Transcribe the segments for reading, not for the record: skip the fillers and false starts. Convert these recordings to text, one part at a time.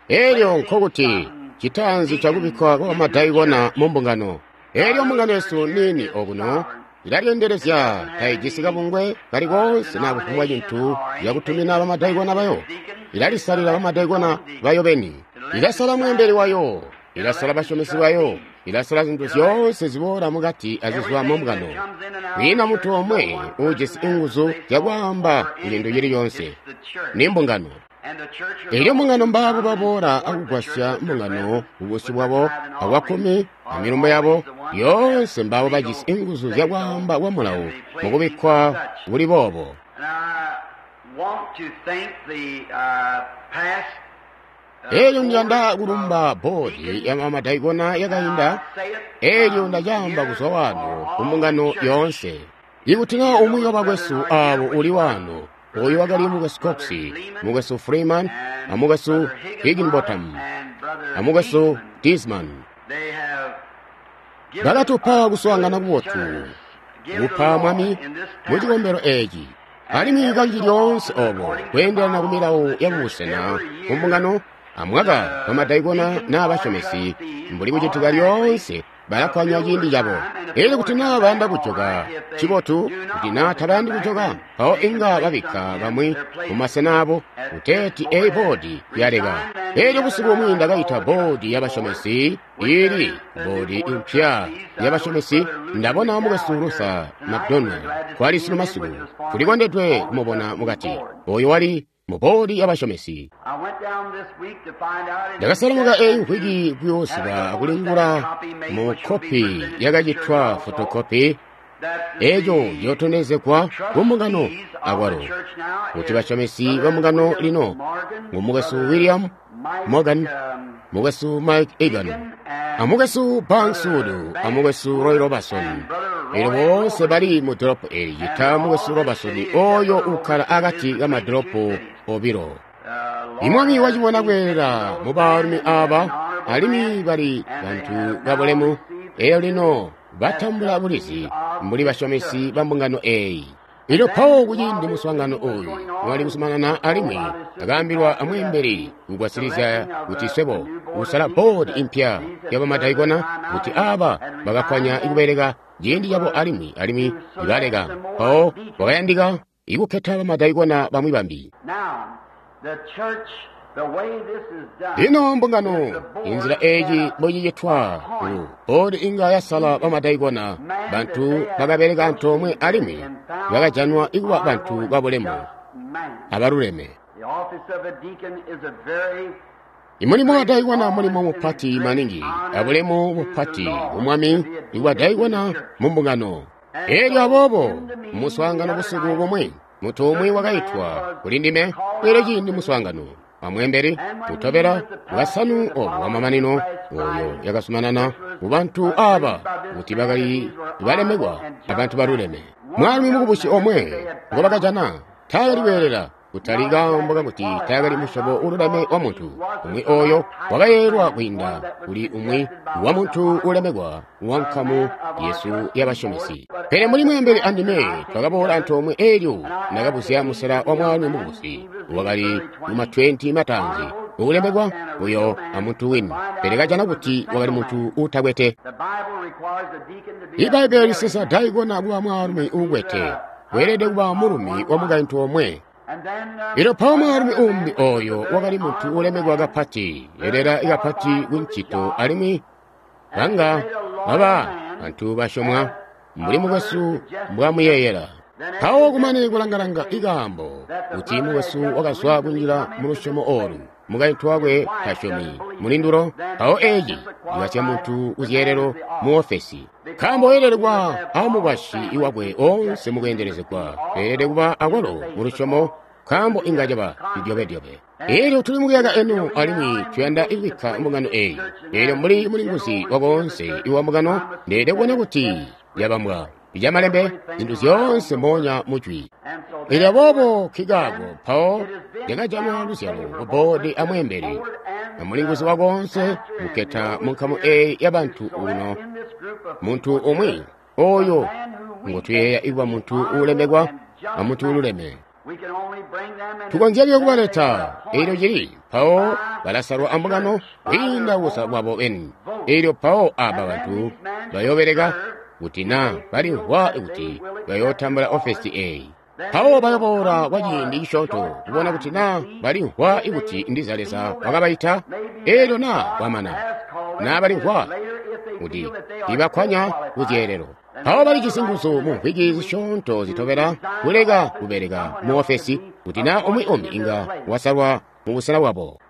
Elyo nkokuti citaanzi cakubikkwa kwa bamadaikona mu mbungano. Elyo mbungano yesu niini okuno ilalyendelezya, taijisi kabungwe kali koonse naa kufumbwa cintu cakutumina bamadaikona bayo. Ilalisalila bamadaikona bayo beni. Ilasala mweembeli wayo. Ilasala basyomesi bayo. Ilasala zintu zyoonse ziboola mukati azizwa mu mbungano. Kwiina muntu omwe uujisi nguzu zyakwaamba cintu cili coonse. Ni mbungano. Elyo mbungano mbaabo baboola akugwasya mbungano kubusyu bwabo abwakkumi amilumbo yabo yoonse, mbaabo bajisi nguzu zyakwaamba kwa mulawo mukubikkwa kuli boobo. Elyo ndiyanda kulumba boodi ya bamadaikona yakainda. Elyo ndacaamba kuzwa wano ku mbungano yoonse. Ikuti naa umwi wabakwesu aabo uli wano, oyu wakali Mukwesu Cox, Mukwesu Freeman, a Mukwesu Higginbotham, a Mukwesu Disman, bakatupa kuswaangana kubotu, kupa Mwami mu cikombelo eci. Alimwi kanji lyoonse obo kweendelana ku milawo ya kubusena ku mbungano amwaka bamadaikona naa basyomesi, mbuli kucitika lyoonse, balakkwanya ciindi cabo. Elyo kuti naa bayanda kujoka, ncibotu. Kuti naa tabayandi kujoka, mpawo inga babikka bamwi mumasena abo, kuteeti eyi boodi yaleka. Elyo busiku bumwi ndakaita boodi yabasyomesi, ili boodi impya yabasyomesi. Ndabona Mukwesu Luther McDonald kwali sunu masiku. Tulikondedwe kumubona mukati. Oyo wali mu boodi yabasyomesi. Ndakaselemuka eyi mvwiki kuyoosiba akulingula mu kopi yakacitwa fotokopi, eco ciyotondezegwa ku mbungano akwalo, kuti basyomesi ba mbungano lino ngu Mukwesu William Morgan, Mukwesu Mike Egan, a Mukwesu Banks Wood, a Mukwesu Roy Robertson. Elyo boonse bali mu dolopo eli cita Mukwesu Robertson oyo ukkala akati kamadolopo obilo. Imwami wacibona kweelela mu baalumi aaba, alimwi bali bantu babulemu. Elyo lino batambula bulizi mbuli basyomesi ba mbungano eeyi. Elyo mpawo kuciindi muswaangano oyu wali kuzumanana, alimwi akaambilwa amweembeli kugwasilizya kuti swebo kusala boodi impya yabamadaikona, kuti aaba bakakkwanya kubeleka ciindi cabo alimwi alimwi baleka. Mpawo kwakayandika ikukketa bamadaikona bamwi bambi. Lino mbungano, inzila eeci mbocicitwa, ku boodi inga yasala bamadaikona, bantu bakabeleka antoomwe alimwi bakajanwa ikuba bantu babulemu abaluleme. Imulimo wa daikona mulimo mupati maningi, abulemu bupati ku Mwami ibwa daikona mu mbungano. Elyo aboobo muswaangano busiku bumwi, muntu umwi wakaitwa kuli ndime. Elyo ciindi muswaangano amweembeli kutobela bwasanu obu wamamanino oyo yakazumanana ku bantu aba kuti bakali balemekwa abantu baluleme. Mwaalumi mukubusi omwe ngobakajana taakali kweelela, kutali kaambo kakuti taakali musyobo ululeme wa muntu umwi oyo wakayeelwa kwiinda kuli umwi wa muntu ulemekwa wa nkamu yesu yabasyomesi. Pele mbuli mweembeli andime twakaboola antoomwe, elyo ndakabuzya musela wa mwaalumi mukubusi wakali mu 20 mataanzi ukulemekwa uyo amuntu wini, pele kajana kuti wakali muntu uutakwete. Ibbaibbele lisesa daikona kuba mwaalumi uukwete, weelede kuba mulumi wa mukaintu omwe. Elyo mpawo mwaalumi umbi oyo wakali muntu ulemekwa kapati, yelela kapati ku ncito, alimwi banga baba bantu basyomwa mbuli mukwesu mbwamuyeeyela. Mpawo kumane kulangalanga ikaambo kuti mukwesu wakazwa kunjila mu lusyomo olu, mukaintu wakwe tasyomi mulindulo, mpawo eci cikasya muntu kuzyeelelo mu ofesi. Nkaambo weelede kuba amukwasyi wakwe oonse mukweendelezegwa, weelede kuba akwalo mu lusyomo, nkaambo inga caba cidyobedyobe. Elyo tuli mukuyaka eno, alimwi tuyanda kubikka mbungano eyi. Elyo mbuli mulinguzi wakoonse iwa mbungano, ndeelede kubona kuti yabambwa icamalembe, zintu zyoonse moonya mujwi. Elyo aboobo nkikaako mpawo lyakajanwa luzyalo ku boodi amweembeli amulinguzi wakoonse kukketa mu nkamu eyi yabantu uno muntu umwi oyo ngotuyeeya ikuba muntu uulemekwa amuntu ululeme. Tukonzya buyo kubaleta. Elyo cili mpawo balasalwa ambungano kwiinda kusa kwabo beni. Elyo mpawo aba bantu bayobeleka kuti na balimvwa kuti bayotambula ofesi eyi. Mpawo bayoboola kwa ciindi cisyoonto kubona kuti na balimvwa kuti ndiza Leza wakabaita. Elyo na kwamana na balimvwa kuti ibakkwanya kuzyeelelo, mpawo balijisi nguzu mu mvwiki zisyoonto zitobela kuleka kubeleka mu ofesi kuti na umwi umbi inga wasalwa mu busena bwabo.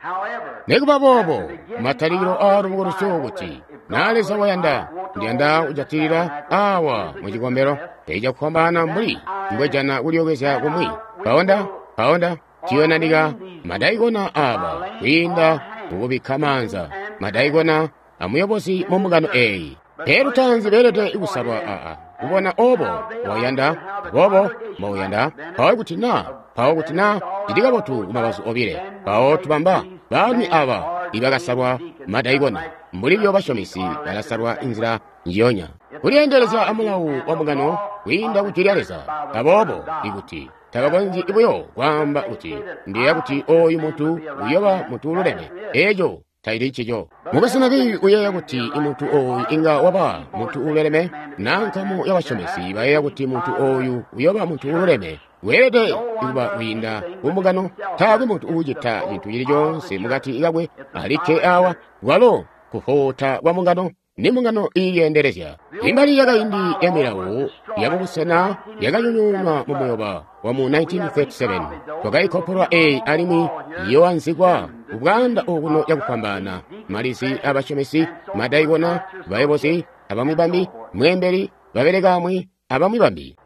Nikuba boobo, matalikilo aalubukulusyo kuti na Leza wayanda, ndiyanda kujatilila awa mu cikombelo cakufwambaana mbuli mbwejana kulyookezya kumwi. Mpawo tiyonanika madaikona aba kwiinda mukubikka maanza madaikona amuyobozi mu mbungano eyi. Pele lutaanzi beelede kusalwa aa kubona obo mbouyanda, bobo mbouyanda, mpawo kuti na cili kabotu kumabazu obile. Mpawo tubamba baalumi aba ibakasalwa madaikona mbuli byo basyomesi balasalwa inzila njiyonya kulyeendelezya amulawu wa mbungano kwiinda ku jwi lya Leza. Aboobo ikuti tabakonzyi buyo kwaamba kuti ndiyeeya kuti oyu muntu uyoba muntu ululeme, eeco tacili ncico. Mukwesu Neville uyeeya kuti muntu ooyu inga waba muntu uululeme, na nkamu yabasyomesi bayeeya kuti muntu ooyu uyoba muntu uululeme. Weelede kuba kwiinda ku mbungano. Taakwe muntu uucita cintu cili coonse mukati kakwe alikke awa, kwalo kuvoota kwa mbungano ni mbungano iilyeendelezya. Imbali yakaindi ya milawo yamubusena yakanyonyoonwa mu muyoba wa mu 1937. Twakaikopolwa eyi alimwi yoanzikwa kubwaanda okuno cakufwambaana. Malizi abasyomesi, madaikona, bayobozi, abamwi bambi, mweembeli, babelekaamwi, abamwi bambi.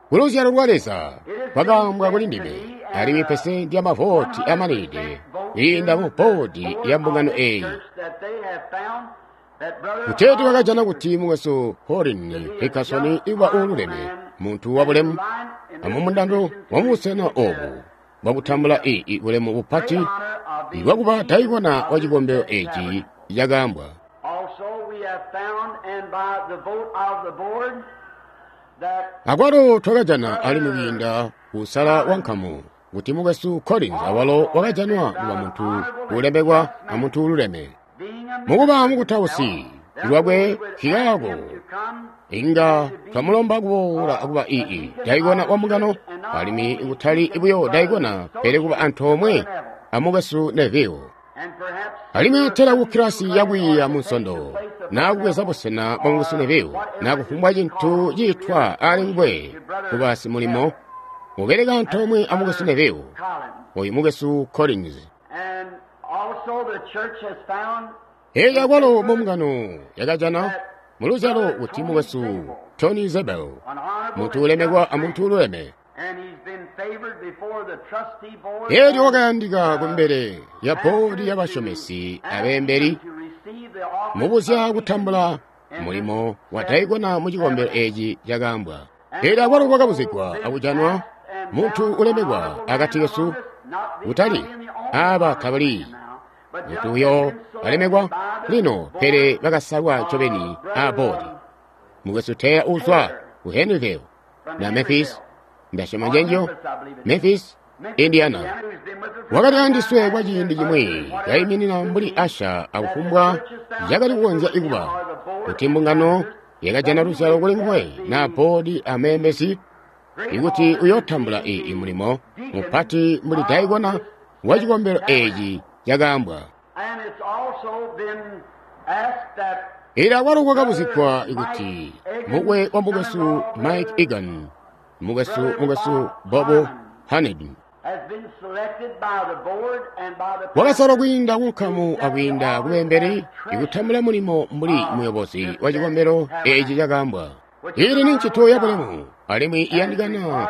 Kuluzyalo lwa Leza kwakaambwa kuli ndime, alimwi pesenti ya mavoti amanide kwiinda mu bodi ya mbungano eyi. Kuteeti bakajana kuti mukwesu Hollin Hickerson iba uululeme, muntu wabulemu, amumundando wamubusena obu bwakutambula ii bulemu bupati bwakuba daikona wa cikombelo eci cakaambwa. Akwalo twakajana alimwi kwiinda kusala wankamu kuti mukwesu Collins awalo wakajanwa kuba muntu uulemekwa amuntu uululeme. Mukuba mukutausi lwakwe nkikaako inga twamulomba kuboola akuba ii daikona wa mbungano, alimwi kutali buyo daikona pele kuba antoomwe amukwesu Neville. Alimwi atela ku kilasi yakwiiya mu Nsondo, naa kubweza busena bwa mukwesu Neville, naa kufumbwa cintu ciitwa ali nguwe kuba simulimo ubeleka antoomwe amukwesu Neville, oyu mukwesu Collins. Elyo akwalo mu mbungano yakajana muluzyalo kuti mukwesu Tony Zabel, muntu ulemekwa amuntu ululeme. Elyo wakayandika kumbele ya bodi y'abasyomesi abeembeli mubuzya kutambula mulimo wa daikona mu cikombelo eci cakaambwa. Elyo akwalo kwakabuzigwa akujanwa muntu ulemekwa akati kesu, kutali aba tabali muntu uyo balemekwa lino, pele bakasalwa ncobeni a bodi. Mukwesu Taylor uzwa ku Henryville na Memphis, ndasyoma njenjo, Memphis, Indiana. Wakali andiswe kwa ciindi cimwi kayiminina mbuli Asha akufumbwa cakali kukonzya kuba kuti mbungano yakajana luzyalo kuli nguwe na bodi ameembezi ikuti uyotambula ii mulimo mupati mbuli daikona wa cikombelo eci cakaambwa. Elyo akwalo kwakabuzigwa kuti mukwe wa mukwesu Mike Egan, mukwesu Bobo Haned wakasalwa kwiinda kunkamu akwiinda kubeembeli ikutambula mulimo mbuli muyobozi wa cikombelo eci cakaambwa. Ili ni ncito yabulemu alimwi iyandikana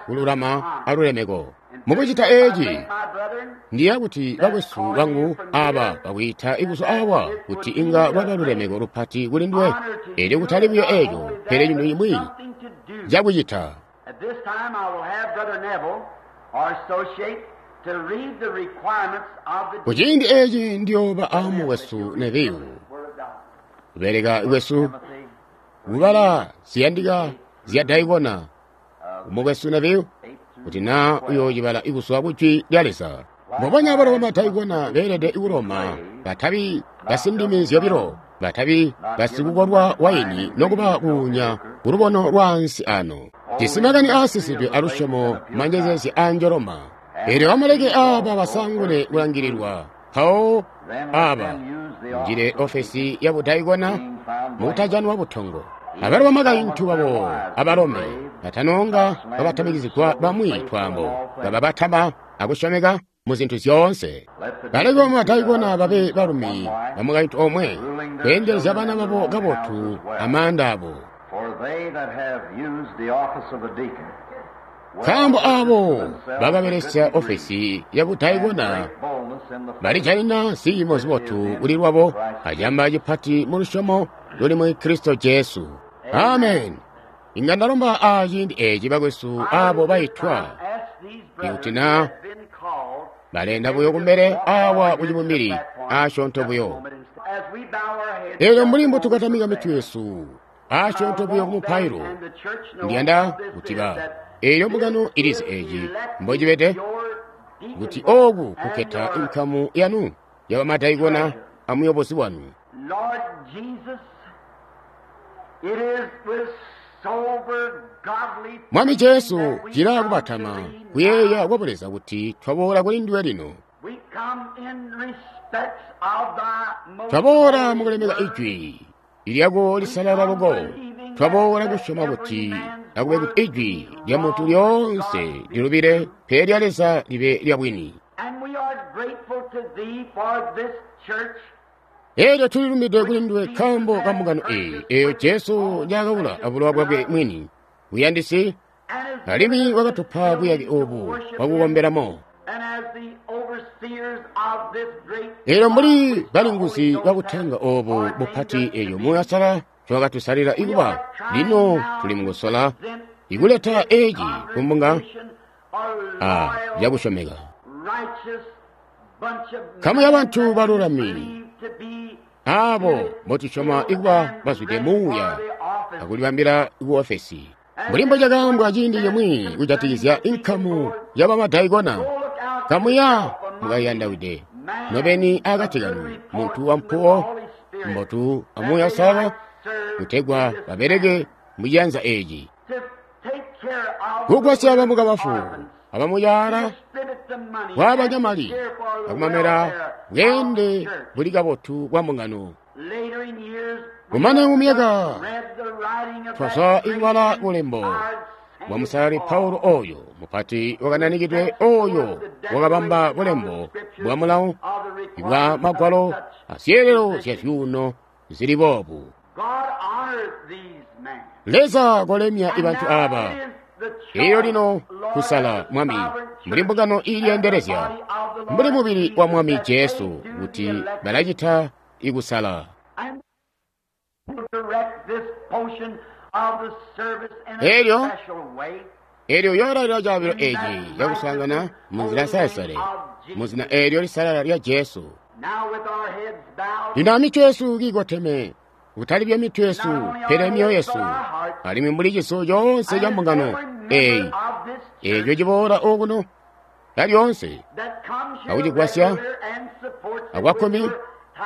kululama alulemeko. Mukucita eci ndiya kuti bakwesu bangu aba bakwiita ikuzo awa kuti inga lwaba lulemeko lupati kuli nduwe. Elyo kutali buyo eco, pele cintu cimwi cakucita. Kuciindi eci ndiyooba amukwesu Neville, kubeleka kwesu kubala ziyandika zya daikona Mukwesu Neville, kuti naa uyoocibala kuzwa ku Jwi lya Leza. Mbubonya abalo bamadaikona beelede kuloma, batabi basindimi zyobilo, batabi basikukolwa waini nokuba kuunya kulubono lwaansi ano. Jisi makani aasisidwe alusyomo manjezeezya aanjoloma. Eelyo bamuleke aaba basaangune kulangililwa, mpawo aaba njile ofesi yabudaikona mukutajanwa butongo. Abalo bamakaintu babo abalome batanonga babatamikizigwa bamwi twaambo, kababatama akusyomeka muzintu zyoonse. Baleke bamadaikona babe balumi bamukaintu omwe, kweendelezya bana babo kabotu amaanda abo. Nkaambo aabo bakabelesya ofesi yabudaikona balijanina ziimo zibotu kuli lwabo acamba cipati mulusyomo luli muli Kristo Jesu. Amen. Inga ndalomba aciindi eeci bakwesu aabo baitwa, ikuti naa balenda buyo kumbele awa kucibumbili asyoonto buyo. Eelyo mbuli mbotukatamika mitwe yesu asyoonto buyo kumupailo, ndiyanda kuti ba eelyo mbungano ilizi eeci mbocibede, kuti ooku kukketa inkamu yanu yabamadaikona amuyobozi wanu. Mwami Jesu, cilaa kubatama kuyeeya kwa Buleza kuti twaboola kuli nduwe lino. Twaboola mukulemeka Ijwi lyako lisalala loko. Twaboola kusyoma kuti akube kuti Ijwi lya muntu lyoonse lilubile, pele lya Leza libe lya bwini. Eelyo tulilumide kuli nduwe nkaambo ka mbungano eeyi, eeyo Jesu njaakawula abulowa bwakwe mwini buyandisi, alimwi wakatupa buyake oobu bwakukombelamo. Eelyo mbuli balinguzi babutanga oobu bupati eeyo Muuya Uusalala ncowakatusalila ikuba, lino tuli mukusola ikuleta eeci kumbunga a cakusyomeka. Nkamu yabantu balulami aabo mbotusyoma ikuba bazwide muuya akulibambila kuofesi. Mbuli mbocakaambwa ciindi cimwi kujatikizya inkamu yabamadaikona, kamuya mukayandawide nobeni akati kanu muntu wampuwo mbotu amuuya Uusalala, kutegwa babeleke muciyanza eeci, kugwasya bamukabafu abamuyaala, kwaabanya mali akumamela bweende buli kabotu bwa mbungano. Kumane mumyaka twazwa ikubala bulembo bwa Musalali Paulo oyo mupati wakananikidwe oyo wakabamba bulembo bwa mulawo bwa magwalo azyeelelo zya zyuuno zili boobu. Leza kolemya ibantu aaba. Eyo lino kusala Mwami mbuli mbungano iilyeendelezya mbuli mubili wa Mwami Jesu kuti balacita ikusala. Eelyo eelyo yoolalila caabilo eeci cakuswaangana munzila nsalesale muzina eelyo lisalala lya Jesu. Lino amitwe yesu kiikoteme, kutali buyo mitwe yesu pele myoyo yesu, alimwi mbuli ciso coonse ca mbungano eeyi eeco ciboola okuno lyalyonse akucigwasya akwakkumi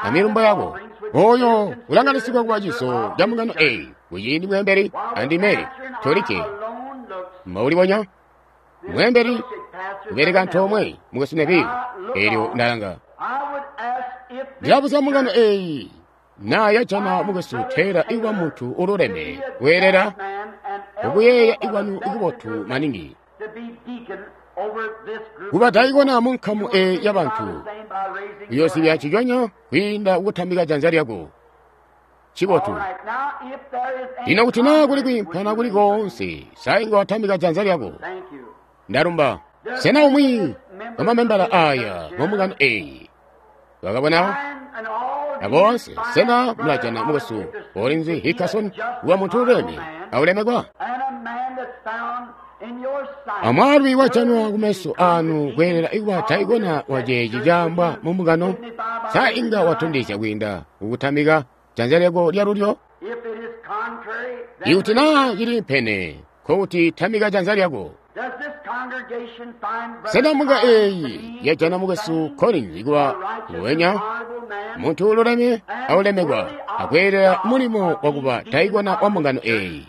amilumbo yako oyo ulanganisigwa kuba ciso ca mbungano eeyi kuciindi mweembeli andime tolikke mbaulibonya mweembeli kubeleka antoomwe mukwesu Neville. Eelyo ndalanga ndilabuzya mbungano eeyi naa yajana mukwesu Taylor ikuba muntu ululeme weelela ukuyeeya ikwanu ikubotu maningi kuba daikona mu nkamu eeyi yabantu uyoozibya ciconyo kwiinda kukutambika janza lyako. Cibotu. Lino kuti naa kuli kwiimpana kuli koonse, sa inga watambika janza lyako. Ndalumba. Sena umwi wamamembala aaya mumbungano eeyi wakabona aboonse, sena mulajana mukwesu Olinzi Hickerson kuba muntu ululeme aulemekwa? Amwaalumi wajanwa kumeso aanu kweelela ikuba daikona waceeci caambwa mumbungano, sa inga watondezya kwiinda kukutambika janza lyako lyalulyo? Ikuti naa cili mpene, Nkokuti tamika janza lyako. Sena mbunga eeyi yajana mukwesu Collins kuba nguwenya, muntu ululeme aulemekwa, akweelela mulimo wakuba daikona wa mbungano eeyi?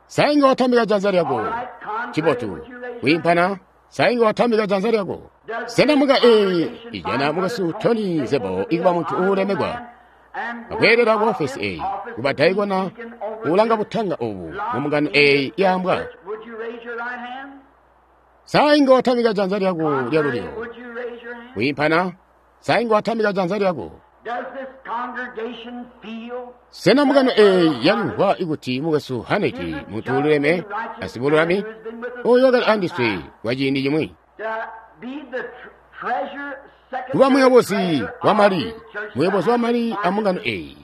Sainga watambika janza lyako. Chibotu. Kuimpana, sainga watambika janza lyako. Sena mbunga eeyi ijana mukwesu Tony Zebo ikuba muntu uulemekwa, akweelela ku ofesi eeyi, kuba daikona ulanga butanga ubu mu mbungano eeyi yaambwa? Sainga watambika janza lyako lyalulyo. Kuimpana, sainga watambika janza lyako. Sena mbungano eeyi yalimvwa ikuti mukwesu Haneti muntu ululeme asibululami oyo wakali andiswe kwa ciindi cimwi, kuba muyobozi wa mali, muyobozi wa mali ambungano eeyi,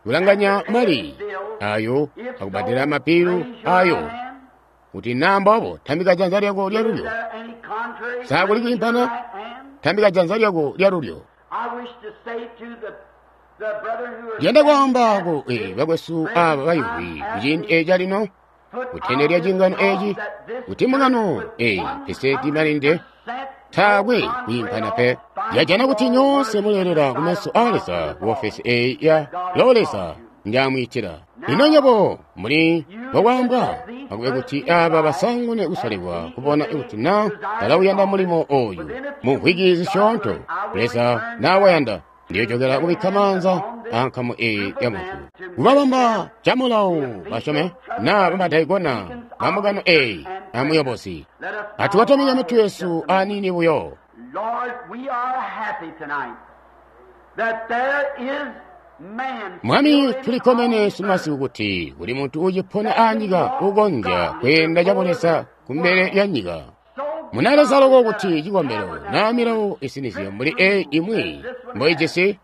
kulanganya mali ayo akubadela mapilu ayo, kuti naambobo tambika janza lyako lyalulyo. Sakuli kuimpana, tambika janza lyako lyalulyo. Ndiyanda kwaambako bakwesu aba bayuwi kuciindi eeci calino, kutende lya cingano eeci, kuti mbungano eeyi pesenti imalinde taakwe kwiimpana pe. Yajana kuti nyoonse muleelela kumeso a Leza ku ofesi eeyi ya lo Leza ndyamwiitila. Lino nywebo muli mbokwaambwa, akube kuti aba basangune kusalibwa kubona kuti na balauyanda mulimo oyu mu mvwiki zisyoonto. Leza nawayanda, ndiyojokera kubikka maanza ankamu eeyi ya muntu kubabamba camulawo basyome na bamadaikona ba mbungano eeyi amuyobozi. Atukatamika mitwe yesu aniini buyo. Mwami, tulikkomene sunu kuti kuli muntu uucipona anyika uukonzya kweenda cabuleza kumbele ya nyika. Munaleza loko kuti cikombelo naa milawo isinizyo mbuli eeyi imwi mboijisi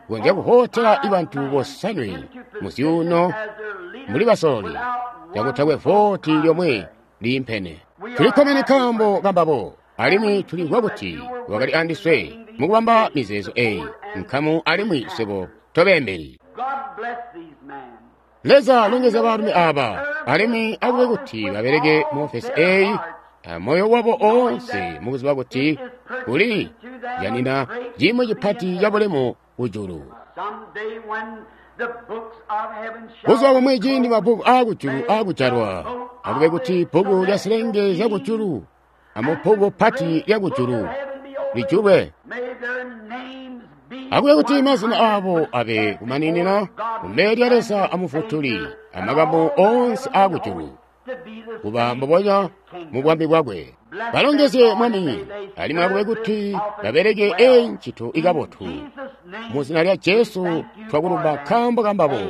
konzya kuhotela bantu bosanwe muzyuuno mbuli basololi cakutakwe voti lyomwe liimpene. Tulikkomene nkaambo kambabo, alimwi tulimvwa kuti wakali andiswe mukubamba mizeezo eeyi nkamu alimwi swebo tobeembeli. Leza longezya baalumi aba, alimwi akube kuti babeleke mu ofesi eeyi amoyo wabo oonse mukuziba kuti kuli janina cimwi cipati cabulemu kujulu. Buzuba bumwi ciindi mabbuku aakujulu aakujalwa, akube kuti bbuku lya zilenge zyakujulu amubbuku pati lyakujulu lijulwe. Akube kuti mazina aabo abe kumaninina kumbele lya Leza amufutuli amakamu oonse aakujulu, kuba mbubonya mu bwami bwakwe. Balongezye Mwami, alimwi akube kuti babeleke eeyi ncito ikabotu. Mu zina lya Jesu twakulumba nkaambo kambabo.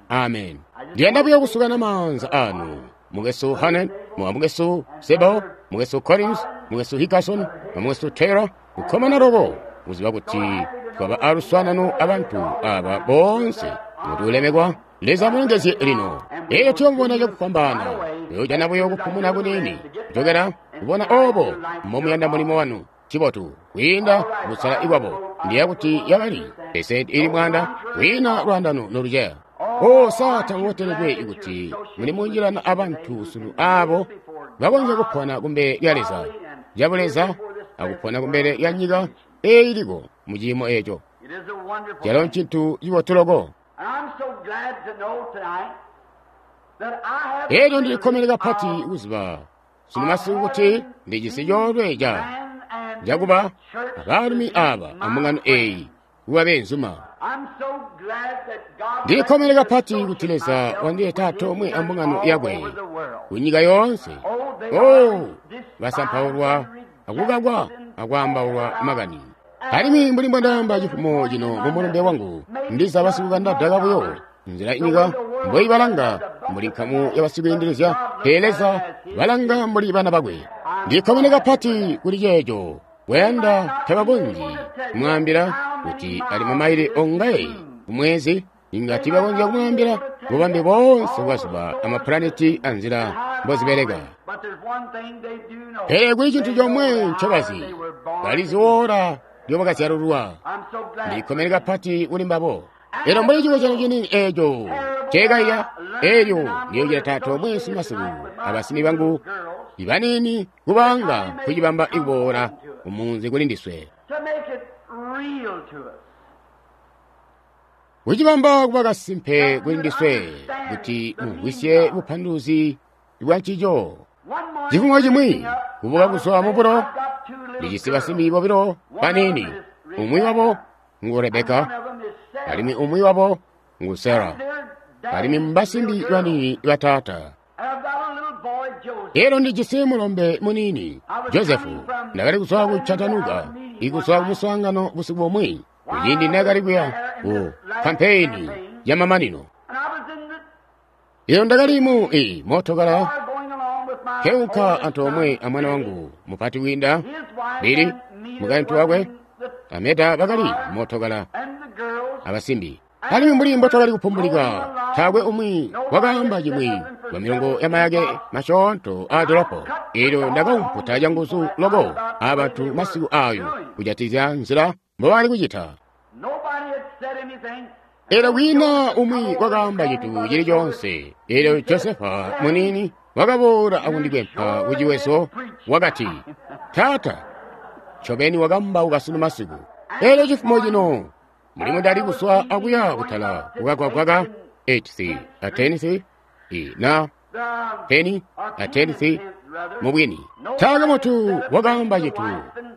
Amen. Ndiyanda buyo kusukana maanza anu. Mukwesu Hanen, mukwesu Sebo, mukwesu Collins, mukwesu Hickerson, mukwesu Taylor, kukkomana loko kuziba kuti twaba aluswaanano abantu aba boonse kuti ulemekwa. Leza mulongezye lino. Eyo tuyomubona cakufwambaana. Tuyojana buyo kupumuna kuniini kuchokera kubona obo mbomuyanda mulimo wanu. Chibotu kwiinda kusala ikwabo ndiya kuti yabali pesenti ili 100 kwiina lwandano noluceya. O sata muboteledwe kuti muli munjilana abantu sunu abo bakonzya kupona kumbele lya Leza cabuleza akupona kumbele lya nyika eeyi iliko mu ciimo eeco. Calo ncintu cibotu loko. Elyo ndilikkomene kapati kuziba sunu masiku kuti ndijisi coolwe cakuba abaalumi aba ambungano eeyi kuba beenzuma. Ndilikkomene kapati kuti Leza wandileta antoomwe ambungano yakwe kunyika yoonse. Oh, basampaulwa akukakwa akwaambaulwa makani. Alimwi mbuli mbwandaamba cifumo cino mumulumbe wangu, ndiza basikukanda daka buyo nzila inyika mboibalanga mbuli nkamu yabasikwiindilizya, pele Leza balanga mbuli bana bakwe. Ndikkomene kapati kuli ceeco. Wayanda tabakonzyi kumwaambila kuti ali mamaile ongaye kumwezi, inga tiibakonzya kumwaambila bubambe boonse bwazuba amapulaneti anzila mbozibeleka. Pele kuli cintu comwe ncobazi, balizi woola lyobakazyalulwa. Ndikkomene kapati kuli mbabo. Elyo mbuli cikozyano cini eeco Nceekaiya elyo ndiyocita taata omwe simasiku abasimi bangu ibaniini kubanga kucibamba ikuboola kumunzi kuli ndiswe. Kucibamba kuba kasimpe kuli ndiswe kuti mumvwisye bupanduluzi bwa ncico. Cifumo cimwi kubuka kuzwa mubulo ndijisi basimbi bobilo baniini, umwi wabo ngu Rebeka alimwi umwi wabo ngu Sara, alimwi mbasimbi baniini bataata. Elyo ndijisi mulombe muniini Josefu. Ndakali kuzwa ku Chattanooga ikuzwa kumuswaangano busiku bumwi kuciindi ndakali kuya ku kampeyini ya mamanino. Elyo ndakali mu mootokala keunka antoomwe a mwana wangu mupati wiinda Billy, mukaintu wakwe Ameda bakali mootokala abasimbi. Alimwi mbuli mbotwakali kupumbulika, taakwe umwi wakaamba cimwi lwa milongo ya mayake masyoonto aa dolopo. Elyo ndakaumputa canguzu loko abantu masiku ayo kujatizya nzila mbobali kucita. Elyo kwiina umwi wakaamba cintu cili coonse. Elyo Josefa muniini wakaboola akundikwempa kuciwezo, wakati, Taata, ncobeni wakambauka sunu masiku. Elyo cifumo cino mulimu ndali kuswa akuya kutala kukagwagwa ka 8th a 10th na 10 a 10th mubwini. Taakwe mutu wakaamba cintu,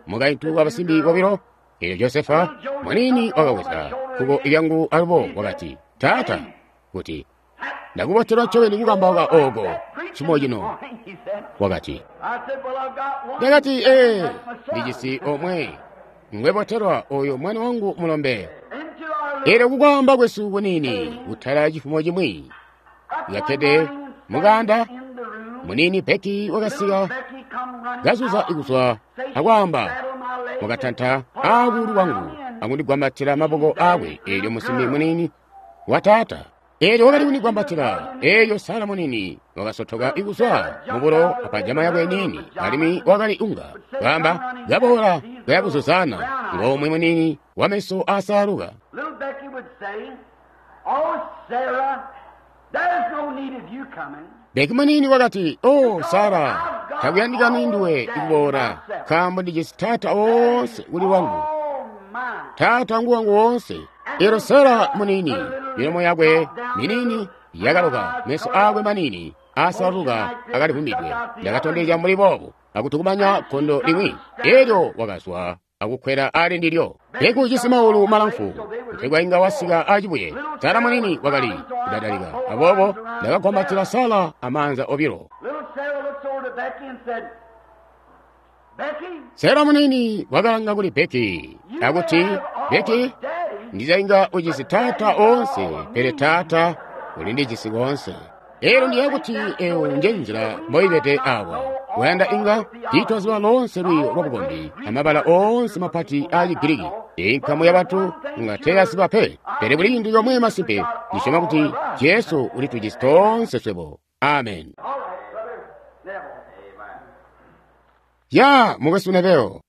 mukaintu wa basimbi bobilo. Elyo Josefa muniini wakaweza kuko lyangu alubo wakati, Taata, kuti ndakubotelwa ncobeni kukambauka oko cifumo cino. Wakati, ndakati, ndijisi omwe ngwebotelwa oyo mwana wangu mulombe. Elyo kukwaamba kwesu kuniini kutala cifumo cimwi yakkede mukanda muniini Becky wakasika kazuza ikuzwa akwaamba, wakatanta aakuulu kwangu akundigwambatila maboko aakwe. Elyo musimbi muniini wa taata elyo wakali kundigwambatila. Elyo Sara muniini wakasotoka ikuzwa mubulo apajama yakwe niini, alimwi wakali unga kwaamba kaboola kayabuzuzana ngomwe muniini wameso asaaluka. Becky muniini wakati, O Sara, takuyandikani nduwe ikuboola, nkaambo ndijisi taata woonse kuli wangu, taata ngu wangu woonse. Elyo Sara muniini milomo yakwe miniini yakaloka, meso aakwe maniini asaluka akalivumbidwe. Ndakatondezya mbuli boobo akutukumanya gondo limwi. Elyo wakazwa akukwela ali ndilyo. Becky ujisi maulu malamfu kutegwa inga wasika acibuye. Sara muniini wakali kudadalika, aboobo ndakagwambatila Sara amaanza obilo. Sara muniini wakalanga kuli Becky akuti, Becky, ndizainga ujisi taata oonse, pele taata ulindijisi koonse. Elyo ndiye kuti eyo nje nzila mboibede awa. Wayanda inga tiitwaziba loonse lwiiyo lwabukombi amabala oonse mapati aa Chigiriki. Inkamu ya bantu nga teyaziba pe, pele kuli cintu comwe masimpe, ndisyoma kuti Jesu ulitujisi toonse swebo. Amen. Ya mukwesu Neville.